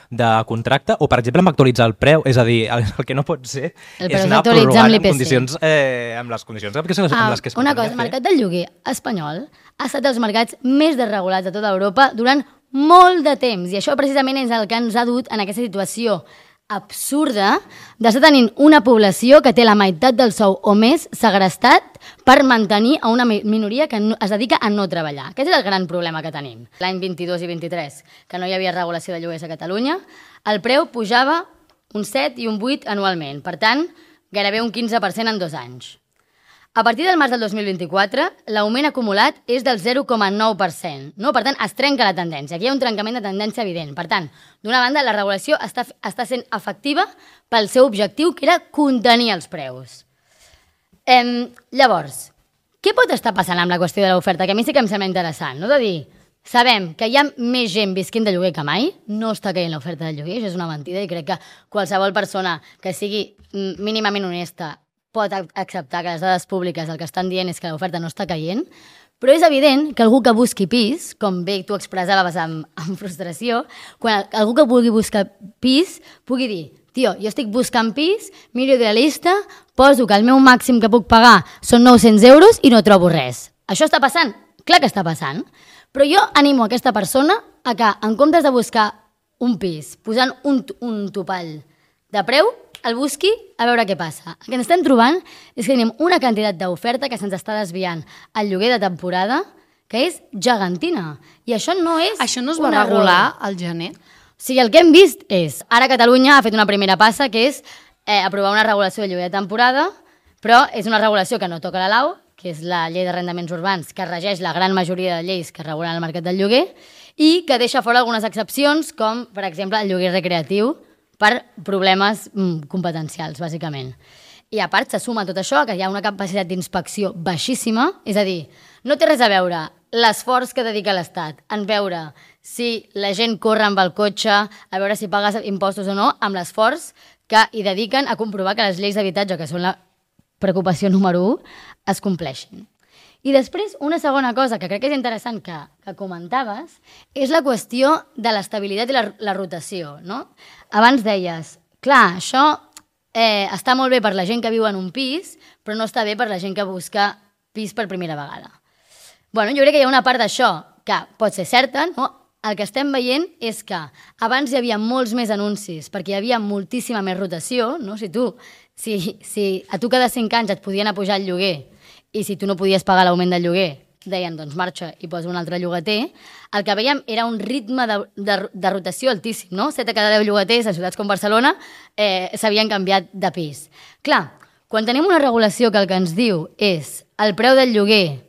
de contracte o, per exemple, amb actualitzar el preu. És a dir, el, el que no pot ser és anar prorrogant amb, condicions, eh, amb les condicions amb ah, les que es una cosa, el mercat del lloguer espanyol ha estat dels mercats més desregulats de tota Europa durant molt de temps i això precisament és el que ens ha dut en aquesta situació absurda d'estar tenint una població que té la meitat del sou o més segrestat per mantenir a una minoria que no, es dedica a no treballar. Aquest és el gran problema que tenim. L'any vint-i-dos i vint-i-tres, que no hi havia regulació de lloguers a Catalunya, el preu pujava un set i un vuit anualment. Per tant, gairebé un quinze per cent en dos anys. A partir del març del dos mil vint-i-quatre, l'augment acumulat és del zero coma nou per cent. No? Per tant, es trenca la tendència. Aquí hi ha un trencament de tendència evident. Per tant, d'una banda, la regulació està, està sent efectiva pel seu objectiu, que era contenir els preus. Em, llavors, què pot estar passant amb la qüestió de l'oferta? Que a mi sí que em sembla interessant, no? De dir, sabem que hi ha més gent visquint de lloguer que mai, no està caient l'oferta de lloguer, això és una mentida, i crec que qualsevol persona que sigui mínimament honesta pot acceptar que les dades públiques el que estan dient és que l'oferta no està caient, però és evident que algú que busqui pis, com bé tu expressaves amb, amb frustració, quan algú que vulgui buscar pis pugui dir, tio, jo estic buscant pis, miro idealista, poso que el meu màxim que puc pagar són nou-cents euros i no trobo res. Això està passant? Clar que està passant. Però jo animo aquesta persona a que, en comptes de buscar un pis posant un, un topall de preu, el busqui a veure què passa. El que ens estem trobant és que tenim una quantitat d'oferta que se'ns està desviant al lloguer de temporada que és gegantina. I això no és Això no es va regular al gener? O sigui, el que hem vist és... Ara Catalunya ha fet una primera passa, que és eh, aprovar una regulació de lloguer de temporada, però és una regulació que no toca la lau, que és la llei d'arrendaments urbans, que regeix la gran majoria de lleis que regulen el mercat del lloguer, i que deixa fora algunes excepcions, com, per exemple, el lloguer recreatiu, per problemes mm, competencials, bàsicament. I a part se suma tot això que hi ha una capacitat d'inspecció baixíssima, és a dir, no té res a veure l'esforç que dedica l'Estat en veure si la gent corre amb el cotxe, a veure si paga impostos o no, amb l'esforç que hi dediquen a comprovar que les lleis d'habitatge, que són la preocupació número u, es compleixin. I després, una segona cosa que crec que és interessant que, que comentaves és la qüestió de l'estabilitat i la, la rotació, no? Abans deies, clar, això eh, està molt bé per la gent que viu en un pis, però no està bé per la gent que busca pis per primera vegada. Bueno, jo crec que hi ha una part d'això que pot ser certa, no? El que estem veient és que abans hi havia molts més anuncis perquè hi havia moltíssima més rotació, no? Si tu, si, si a tu cada cinc anys et podien apujar el lloguer i si tu no podies pagar l'augment del lloguer, deien, doncs marxa i posa un altre llogater, el que veiem era un ritme de, de, de rotació altíssim, no? set de cada deu llogaters a ciutats com Barcelona eh, s'havien canviat de pis. Clar, quan tenim una regulació que el que ens diu és el preu del lloguer,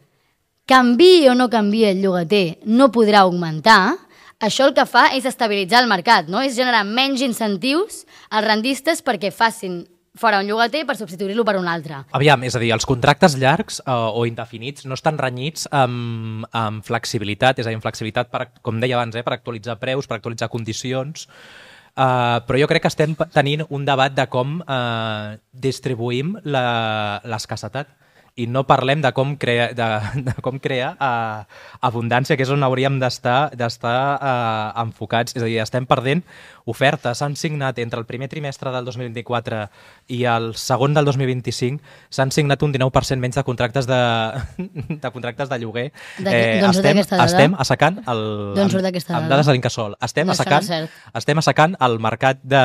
canviï o no canviï el llogater, no podrà augmentar, això el que fa és estabilitzar el mercat, no? És generar menys incentius als rendistes perquè facin fora un llogater per substituir-lo per un altre. Aviam, és a dir, els contractes llargs eh, o indefinits no estan renyits amb, amb flexibilitat, és a dir, amb flexibilitat, per, com deia abans, eh, per actualitzar preus, per actualitzar condicions, eh, però jo crec que estem tenint un debat de com eh, distribuïm l'escassetat i no parlem de com crea, de, de com crear uh, abundància, que és on hauríem d'estar d'estar uh, enfocats. És a dir, estem perdent ofertes. S'han signat entre el primer trimestre del dos mil vint-i-quatre i el segon del dos mil vint-i-cinc, s'han signat un dinou per cent menys de contractes de, de contractes de lloguer. Eh, D'on surt aquesta dada? Estem assecant el, D'on surt aquesta dada? Amb dades de l'Incasòl. Estem, no, assecant, no estem assecant el mercat, de,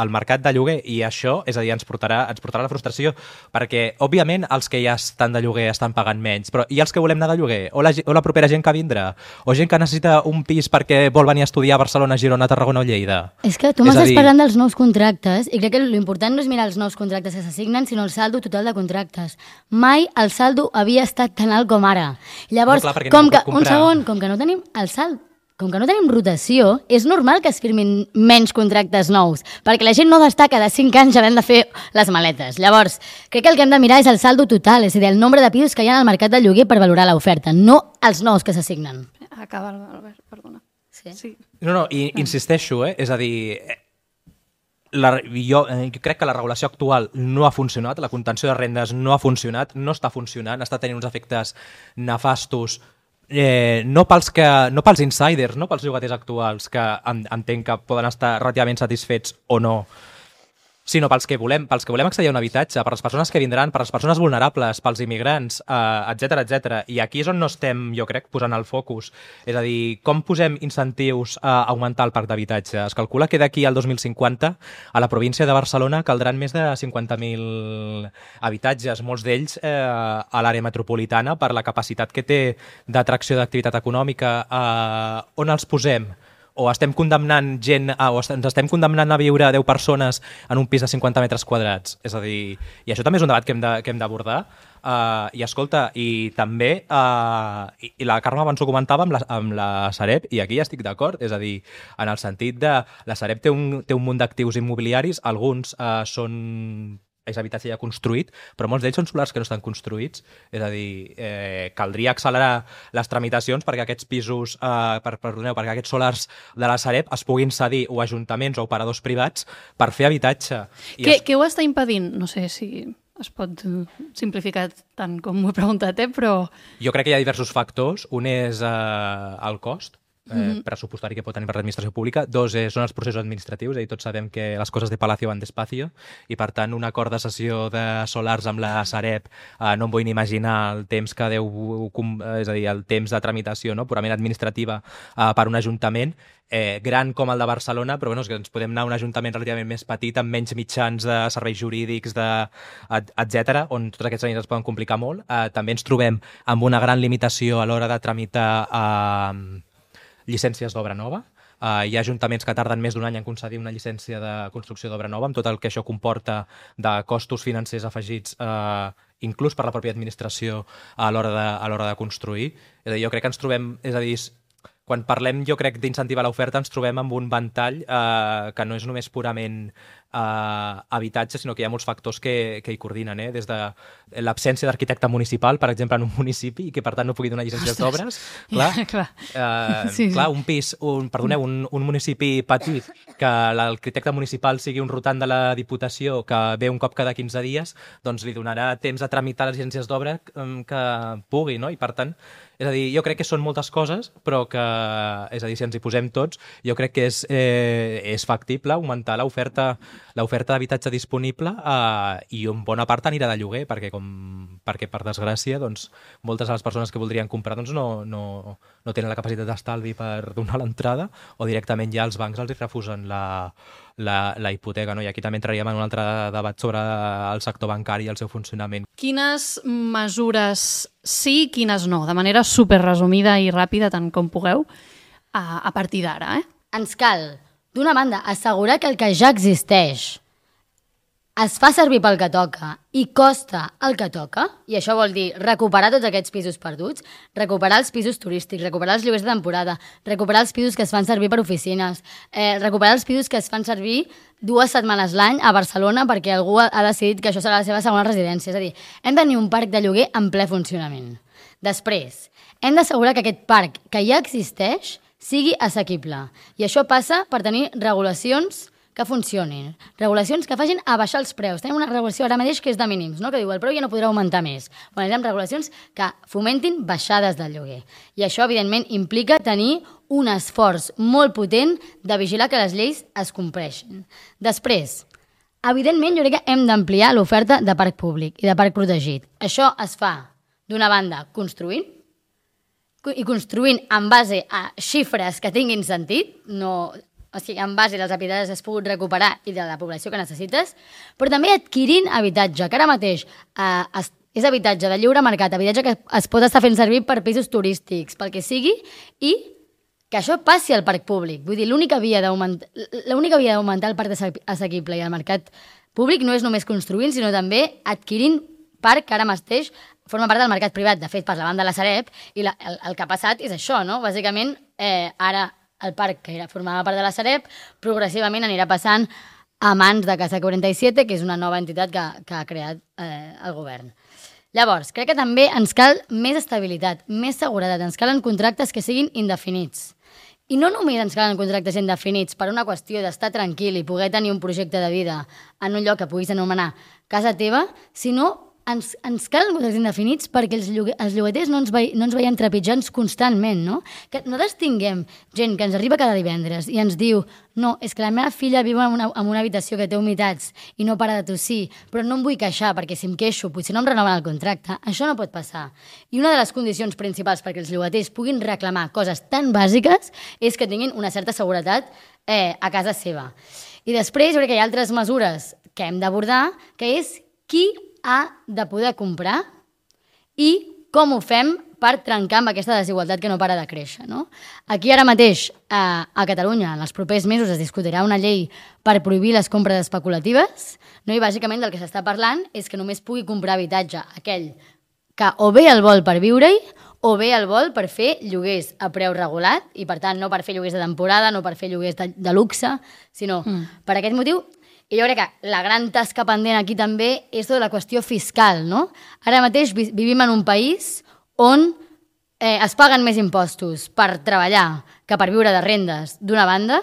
el mercat de lloguer i això, és a dir, ens portarà, ens portarà la frustració, perquè, òbviament, els que ja estan de lloguer estan pagant menys, però i els que volem anar de lloguer? O la, o la propera gent que vindrà? O gent que necessita un pis perquè vol venir a estudiar a Barcelona, Girona, Tarragona o Lleida? És que tu m'estàs dir... parlant dels nous contractes i crec que l'important no és mirar els nous contractes que s'assignen, sinó el saldo total de contractes. Mai el saldo havia estat tan alt com ara. Llavors, no, clar, com no que, un segon, com que no tenim el salt com que no tenim rotació, és normal que es firmin menys contractes nous, perquè la gent no destaca de cinc anys havent de fer les maletes. Llavors, crec que el que hem de mirar és el saldo total, és a dir, el nombre de pisos que hi ha al mercat de lloguer per valorar l'oferta, no els nous que s'assignen. Acaba, Albert, perdona. Sí. Sí. No, no, i insisteixo, eh? És a dir, la, jo, eh, jo crec que la regulació actual no ha funcionat, la contenció de rendes no ha funcionat, no està funcionant, està tenint uns efectes nefastos. Eh, no, pels que, no pels insiders, no pels llogaters actuals, que en, entenc que poden estar relativament satisfets o no, sinó pels que volem, pels que volem accedir a un habitatge, per les persones que vindran, per les persones vulnerables, pels immigrants, eh, etcètera, etcètera. I aquí és on no estem, jo crec, posant el focus. És a dir, com posem incentius a augmentar el parc d'habitatge? Es calcula que d'aquí al dos mil cinquanta a la província de Barcelona caldran més de cinquanta mil habitatges, molts d'ells eh, a l'àrea metropolitana per la capacitat que té d'atracció d'activitat econòmica. Eh, on els posem? O estem condemnant gent, a, o ens estem condemnant a viure deu persones en un pis de cinquanta metres quadrats. És a dir, i això també és un debat que hem de, que hem d'abordar. Uh, I escolta, i també, uh, i, i la Carme abans ho comentava amb la, amb la Sareb, i aquí ja estic d'acord, és a dir, en el sentit de la Sareb té un, té un munt d'actius immobiliaris, alguns uh, són és habitatge ja construït, però molts d'ells són solars que no estan construïts. És a dir, eh, caldria accelerar les tramitacions perquè aquests pisos, eh, per, perdoneu, perquè aquests solars de la Sareb es puguin cedir o ajuntaments o operadors privats per fer habitatge. I Què, es... què ho està impedint? No sé si es pot simplificar tant com m'ho he preguntat, eh? Però... Jo crec que hi ha diversos factors. Un és eh, el cost, Eh, Mhm. pressupostari que pot tenir per l'administració pública. Dos eh, són els processos administratius, és a dir, tots sabem que les coses de Palacio van despacio i per tant un acord de cessió de solars amb la Sareb eh, no em vull ni imaginar el temps que deu, és a dir, el temps de tramitació, no? Purament administrativa eh, per un ajuntament eh, gran com el de Barcelona, però bueno, és que ens podem anar a un ajuntament relativament més petit amb menys mitjans de serveis jurídics, de, et, etcètera, on tots aquests anys es poden complicar molt. Eh, també ens trobem amb una gran limitació a l'hora de tramitar eh, llicències d'obra nova. Uh, hi ha ajuntaments que tarden més d'un any en concedir una llicència de construcció d'obra nova, amb tot el que això comporta de costos financers afegits, uh, inclús per la pròpia administració a l'hora de, a l'hora de construir. És a dir, jo crec que ens trobem, és a dir, quan parlem, jo crec, d'incentivar l'oferta, ens trobem amb un ventall eh, que no és només purament eh, habitatge, sinó que hi ha molts factors que, que hi coordinen, eh? Des de l'absència d'arquitecte municipal, per exemple, en un municipi, i que per tant no pugui donar llicències d'obres. Clar, Ja, clar. eh, Sí, sí. clar, un pis, un, perdoneu, un, un municipi petit, que l'arquitecte municipal sigui un rotant de la Diputació que ve un cop cada quinze dies, doncs li donarà temps a tramitar les llicències d'obra eh, que pugui, no? I per tant, és a dir, jo crec que són moltes coses, però que, és a dir, si ens hi posem tots, jo crec que és, eh, és factible augmentar l'oferta l'oferta d'habitatge disponible eh, i en bona part anirà de lloguer, perquè, com, perquè per desgràcia, doncs, moltes de les persones que voldrien comprar doncs, no, no, no tenen la capacitat d'estalvi per donar l'entrada, o directament ja els bancs els hi refusen la, la, la hipoteca, no? I aquí també entraríem en un altre debat sobre el sector bancari i el seu funcionament. Quines mesures sí i quines no? De manera super resumida i ràpida, tant com pugueu, a, a partir d'ara, eh? Ens cal, d'una banda, assegurar que el que ja existeix es fa servir pel que toca i costa el que toca, i això vol dir recuperar tots aquests pisos perduts, recuperar els pisos turístics, recuperar els lloguers de temporada, recuperar els pisos que es fan servir per oficines, eh, recuperar els pisos que es fan servir dues setmanes l'any a Barcelona perquè algú ha decidit que això serà la seva segona residència. És a dir, hem de tenir un parc de lloguer en ple funcionament. Després, hem d'assegurar que aquest parc que ja existeix sigui assequible. I això passa per tenir regulacions que funcionin. Regulacions que facin abaixar els preus. Tenim una regulació ara mateix que és de mínims, no? Que diu el preu ja no podrà augmentar més. Bueno, necessitem regulacions que fomentin baixades del lloguer. I això, evidentment, implica tenir un esforç molt potent de vigilar que les lleis es compleixin. Després, evidentment, jo crec que hem d'ampliar l'oferta de parc públic i de parc protegit. Això es fa, d'una banda, construint, i construint en base a xifres que tinguin sentit, no, o sigui, en base a les habitatges que has pogut recuperar i de la població que necessites, però també adquirint habitatge, que ara mateix eh, es, és habitatge de lliure mercat, habitatge que es pot estar fent servir per pisos turístics, pel que sigui, i que això passi al parc públic. Vull dir, l'única via d'augmentar l'única via d'augmentar el parc assequible i el mercat públic no és només construint, sinó també adquirint parc que ara mateix forma part del mercat privat, de fet, per la banda de la Sareb, i la, el, el que ha passat és això, no? Bàsicament, eh, ara el parc que era, formava part de la Sareb, progressivament anirà passant a mans de Casa quaranta-set, que és una nova entitat que, que ha creat eh, el govern. Llavors, crec que també ens cal més estabilitat, més seguretat, ens calen contractes que siguin indefinits. I no només ens calen contractes indefinits per una qüestió d'estar tranquil i poder tenir un projecte de vida en un lloc que puguis anomenar casa teva, sinó ens, ens calen contractes indefinits perquè els, llogue, els llogaters no ens, ve, no ens veiem trepitjants constantment, no? Que no distinguem gent que ens arriba cada divendres i ens diu no, és que la meva filla viu en una, en una habitació que té humitats i no para de tossir, però no em vull queixar perquè si em queixo potser no em renoven el contracte. Això no pot passar. I una de les condicions principals perquè els llogaters puguin reclamar coses tan bàsiques és que tinguin una certa seguretat eh, a casa seva. I després jo crec que hi ha altres mesures que hem d'abordar, que és qui ha de poder comprar i com ho fem per trencar amb aquesta desigualtat que no para de créixer. No? Aquí ara mateix, a, a Catalunya, en els propers mesos es discutirà una llei per prohibir les compres especulatives, no? I bàsicament del que s'està parlant és que només pugui comprar habitatge aquell que o bé el vol per viure-hi o bé el vol per fer lloguers a preu regulat i, per tant, no per fer lloguers de temporada, no per fer lloguers de, de luxe, sinó mm. per aquest motiu. I jo crec que la gran tasca pendent aquí també és tota la qüestió fiscal, no? Ara mateix vi vivim en un país on eh, es paguen més impostos per treballar que per viure de rendes, d'una banda,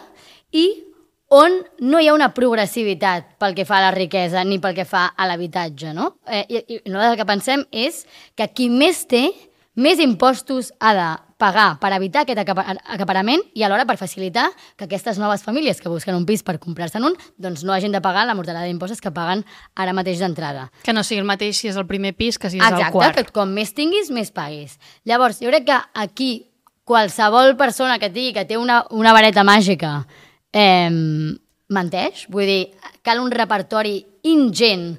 i on no hi ha una progressivitat pel que fa a la riquesa ni pel que fa a l'habitatge, no? Eh, i, I nosaltres el que pensem és que qui més té, més impostos ha de pagar per evitar aquest acaparament i alhora per facilitar que aquestes noves famílies que busquen un pis per comprar-se'n un doncs no hagin de pagar la mortalada d'impostos que paguen ara mateix d'entrada. Que no sigui el mateix si és el primer pis que si és Exacte, el quart. Exacte, que com més tinguis, més paguis. Llavors, jo crec que aquí qualsevol persona que digui que té una, una vareta màgica eh, menteix. Vull dir, cal un repertori ingent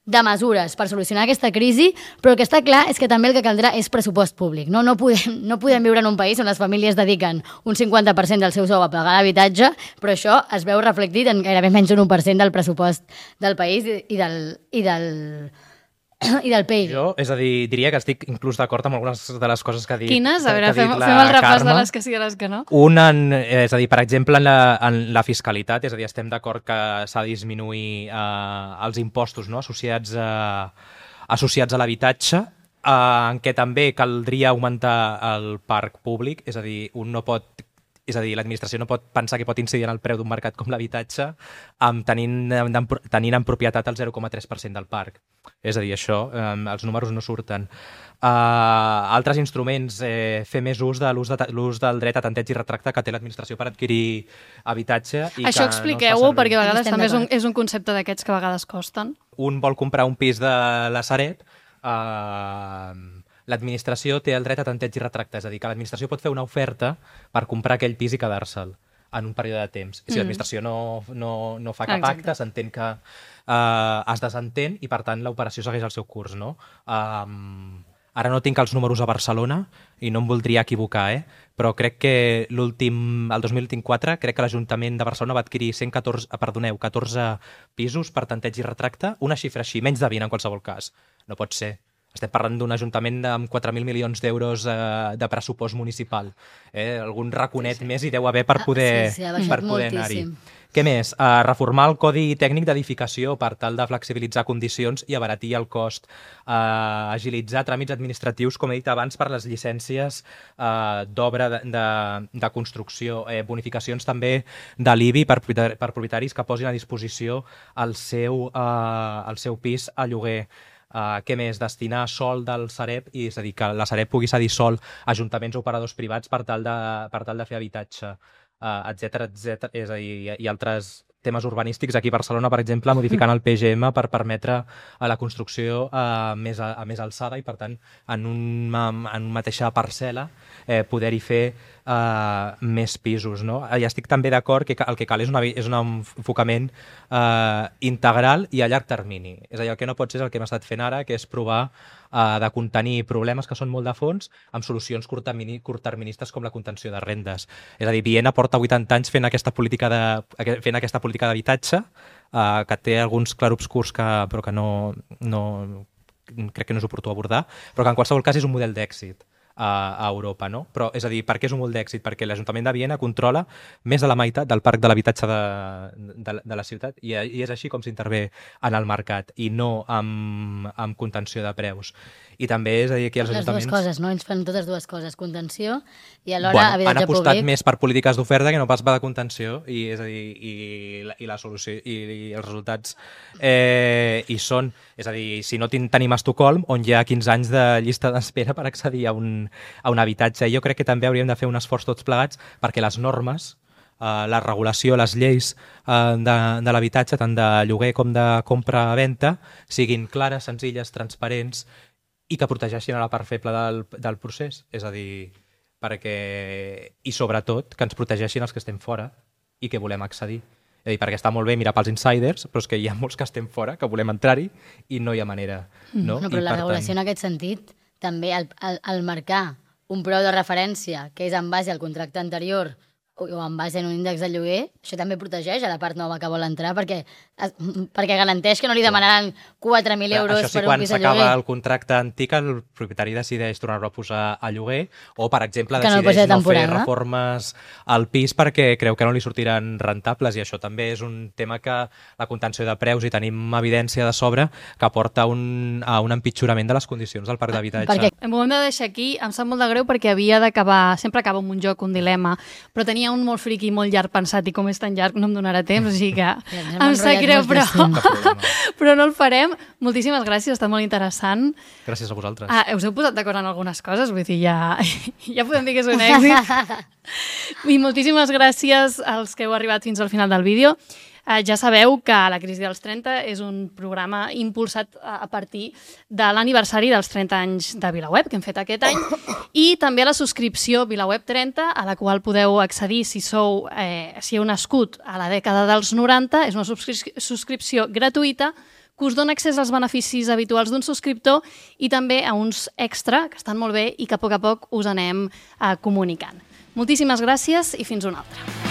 de mesures per solucionar aquesta crisi, però el que està clar és que també el que caldrà és pressupost públic. No, no, podem, no podem viure en un país on les famílies dediquen un cinquanta per cent del seu sou a pagar l'habitatge, però això es veu reflectit en gairebé menys d'un u per cent del pressupost del país i del, i del, i del P I B. Jo, és a dir, diria que estic inclús d'acord amb algunes de les coses que ha dit. Quines? A veure, fem, fem el repàs de les que sí i de les que no. Un, en, és a dir, per exemple, en la, en la fiscalitat, és a dir, estem d'acord que s'ha de disminuir eh, els impostos, no?, associats a, associats a l'habitatge, eh, en què també caldria augmentar el parc públic, és a dir, un no pot és a dir, l'administració no pot pensar que pot incidir en el preu d'un mercat com l'habitatge amb tenint, tenint en propietat el zero coma tres per cent del parc. És a dir, això, eh, els números no surten. Uh, altres instruments, eh, fer més ús de l'ús de, l'ús del dret a tanteig i retracte que té l'administració per adquirir habitatge. I això expliqueu-ho, no perquè a vegades també és un, és un concepte d'aquests que a vegades costen. Un vol comprar un pis de la Sareb, eh... l'administració té el dret a tanteig i retracte, és a dir, que l'administració pot fer una oferta per comprar aquell pis i quedar-se'l en un període de temps. I si mm. l'administració no, no, no fa cap Exacte. acte, s'entén que uh, es desentén i, per tant, l'operació segueix el seu curs, no? Um, ara no tinc els números a Barcelona i no em voldria equivocar, eh? Però crec que l'últim, el dos mil vint-quatre, crec que l'Ajuntament de Barcelona va adquirir cent catorze, perdoneu, catorze pisos per tanteig i retracte, una xifra així, menys de vint en qualsevol cas. No pot ser. Estem parlant d'un ajuntament amb quatre mil milions d'euros eh, de pressupost municipal. Eh? Algun raconet sí, sí. més hi deu haver per poder, sí, sí, per poder anar-hi. Què més? Uh, reformar el Codi Tècnic d'Edificació per tal de flexibilitzar condicions i abaratir el cost. Uh, agilitzar tràmits administratius, com he dit abans, per les llicències uh, d'obra de, de, de construcció. Eh, bonificacions també de l'I B I per, per propietaris que posin a disposició el seu, uh, el seu pis a lloguer. Uh, què més? Destinar sol del Sareb, i és a dir, que la Sareb pugui cedir sol a ajuntaments o operadors privats per tal de, per tal de fer habitatge, uh, etcètera, etcètera. És a dir, i, i altres temes urbanístics. Aquí a Barcelona, per exemple, modificant el P G M per permetre a la construcció a més, a, a més alçada i, per tant, en una, en una mateixa parcel·la eh, poder-hi fer eh, més pisos. No? I estic també d'acord que el que cal és, una, és un enfocament eh, integral i a llarg termini. És a dir, el que no pot ser és el que hem estat fent ara, que és provar eh, de contenir problemes que són molt de fons amb solucions curtterministes com la contenció de rendes. És a dir, Viena porta vuitanta anys fent aquesta política de, fent aquesta política d'habitatge, eh, que té alguns clarobscurs que, però que no, no, crec que no és oportú abordar, però que en qualsevol cas és un model d'èxit a Europa, no? Però, és a dir, per què és un model d'èxit? Perquè l'Ajuntament de Viena controla més de la meitat del parc de l'habitatge de, de, de la ciutat i, i és així com s'intervé en el mercat i no amb, amb contenció de preus. I també és a dir, aquí els les ajuntaments... Les dues coses, no? Ells fan totes dues coses, contenció i alhora bueno, habitatge han apostat públic. més per polítiques d'oferta que no pas per de contenció i, és a dir, i, la, i la solució i, i els resultats eh, hi són. És a dir, si no tenim a Estocolm, on hi ha quinze anys de llista d'espera per accedir a un, a un habitatge. Jo crec que també hauríem de fer un esforç tots plegats perquè les normes, Uh, la regulació, les lleis uh, de, de l'habitatge, tant de lloguer com de compra-venta, siguin clares, senzilles, transparents i que protegeixin a la part feble del, del procés. És a dir, perquè... I sobretot que ens protegeixin els que estem fora i que volem accedir. És a dir, perquè està molt bé mirar pels insiders, però és que hi ha molts que estem fora, que volem entrar-hi i no hi ha manera. No, no però I, la regulació tant... en aquest sentit, també el, el, el marcar un preu de referència que és en base al contracte anterior o en base en un índex de lloguer, això també protegeix a la part nova que vol entrar perquè, perquè garanteix que no li demanaran quatre mil euros sí, per un pis de lloguer. Quan s'acaba el contracte antic, el propietari decideix tornar-lo a posar a lloguer o, per exemple, que decideix no, no fer reformes al pis perquè creu que no li sortiran rentables i això també és un tema que la contenció de preus i tenim evidència de sobre que porta un, a un empitjorament de les condicions del parc d'habitatge. Perquè... Em ho hem de deixar aquí, em sap molt de greu perquè havia d'acabar, sempre acaba amb un joc, un dilema, però tenia un molt friqui, molt llarg pensat i com és tan llarg no em donarà temps, així que ja, em sap greu, però, però no el farem. Moltíssimes gràcies, ha estat molt interessant. Gràcies a vosaltres. Ah, us heu posat d'acord en algunes coses, vull dir, ja, ja podem dir que és un èxit. I moltíssimes gràcies als que heu arribat fins al final del vídeo. Uh, ja sabeu que La crisi dels trenta és un programa impulsat a partir de l'aniversari dels trenta anys de VilaWeb, que hem fet aquest any, i també a la subscripció VilaWeb trenta, a la qual podeu accedir si sou, eh, si heu nascut a la dècada dels noranta. És una subscri- subscripció gratuïta que us dona accés als beneficis habituals d'un subscriptor i també a uns extra, que estan molt bé i que a poc a poc us anem eh, comunicant. Moltíssimes gràcies i fins una altra.